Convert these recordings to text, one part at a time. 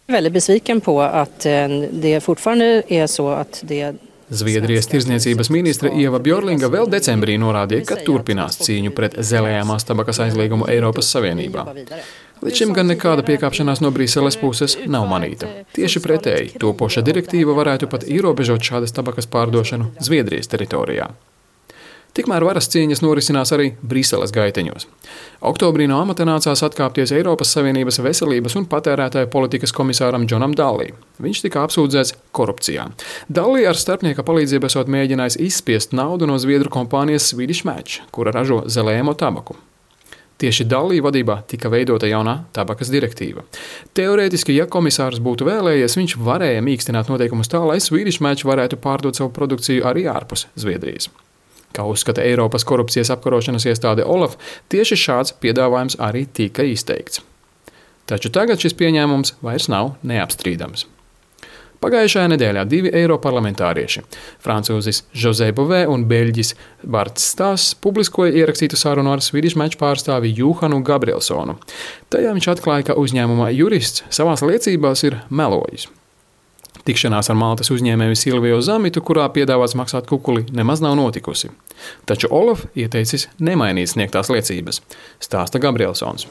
Väldigt besviken på att det fortfarande är så att det Zviedrijas tirdzniecības ministre Ieva Bjorlinga vēl decembrī norādīja, ka turpinās cīņu pret zelējamās tabakas aizliegumu Eiropas Savienībā. Līdz šim gan nekāda piekāpšanās no Briseles puses nav manīta. Tieši pretēji, topoša direktīva varētu pat ierobežot šādas tabakas pārdošanu Zviedrijas teritorijā. Tikmēr varas cīņas norisinās arī Briseles gaiteņos. Oktobrī no amata nācās atkāpties Eiropas Savienības veselības un patērētāju politikas komisāram Džonam Dallī. Viņš tika apsūdzēts korupcijā. Dallī ar starpnieka palīdzību esot mēģinājis izspiest naudu no zviedru kompānijas Swedish Match, kura ražo zelējamo tabaku. Tieši Dallī vadībā tika veidota jaunā tabakas direktīva. Teorētiski, ja komisārs būtu vēlējies, viņš varēja mīkstināt noteikumus tā, lai Swedish Match varētu pārdot savu produkciju arī ārpus Zviedrijas. Kā uzskata Eiropas korupcijas apkarošanas iestāde OLAF, tieši šāds piedāvājums arī tika izteikts. Taču tagad šis pieņēmums vairs nav neapstrīdams. Pagājušajā nedēļā 2 eiroparlamentārieši, francūzis José Bové un beļģis Barts Stāss, publiskoja ierakstītu sarunu ar Swedish Match pārstāvi Johanu Gabrielsonu. Tajā viņš atklāja, ka uzņēmuma jurists savās liecībās ir melojis. Tikšanās ar Maltas uzņēmēju Silviju Zamitu, kurā piedāvāts maksāt kukuli, nemaz nav notikusi. Taču OLAF ieteicis nemainīt sniegtās liecības, stāsta Gabrielsons.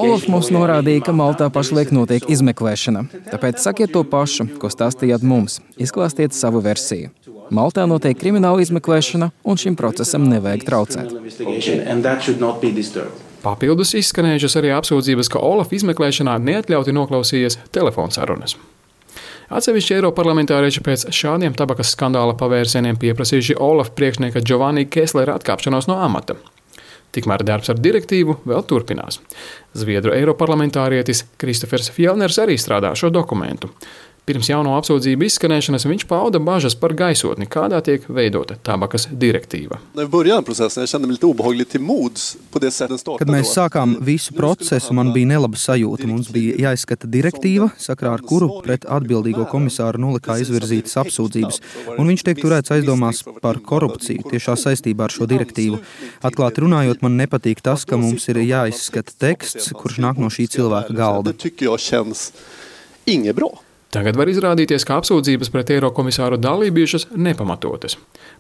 OLAF mums norādīja, ka Maltā pašlaik notiek izmeklēšana. Tāpēc sakiet to pašu, ko stāstījāt mums. Izklāstiet savu versiju. Maltā notiek krimināla izmeklēšana, un šim procesam nevajag traucēt. Papildus izskanējušas arī apsūdzības, ka OLAF izmeklēšanā neatļauti noklausījies telefonsarunas. Atsevišķi eiroparlamentārieši pēc šādiem tabakas skandāla pavērsieniem pieprasījuši OLAF priekšnieka Giovanni Kesslera atkāpšanos no amata. Tikmēr darbs ar direktīvu vēl turpinās. Zviedru eiroparlamentārietis Kristofers Fjellners arī strādā šo dokumentu. Pirms jauno apsūdzību izskanēšanas viņš pauda bažas par gaisotni, kādā tiek veidota tabakas direktīva. Kad mēs sākām visu procesu, man bija nelaba sajūta. Mums bija jāizskata direktīva, sakrā ar kuru pret atbildīgo komisāru nolikā izvirzītas apsūdzības, un viņš tiek turēts aizdomās par korupciju tiešā saistībā ar šo direktīvu. Atklāti runājot, man nepatīk tas, ka mums ir jāizskata teksts, kurš nāk no šī cilvēka galda. Tagad var izrādīties, ka apsūdzības pret eirokomisāru Dallī bijušas nepamatotas.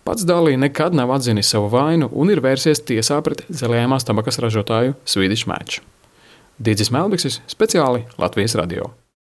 Pats Dallī nekad nav atzinis savu vainu un ir vērsies tiesā pret zelējamās tabakas ražotāju Swedish Match. Didzis Melbiksis, speciāli Latvijas radio.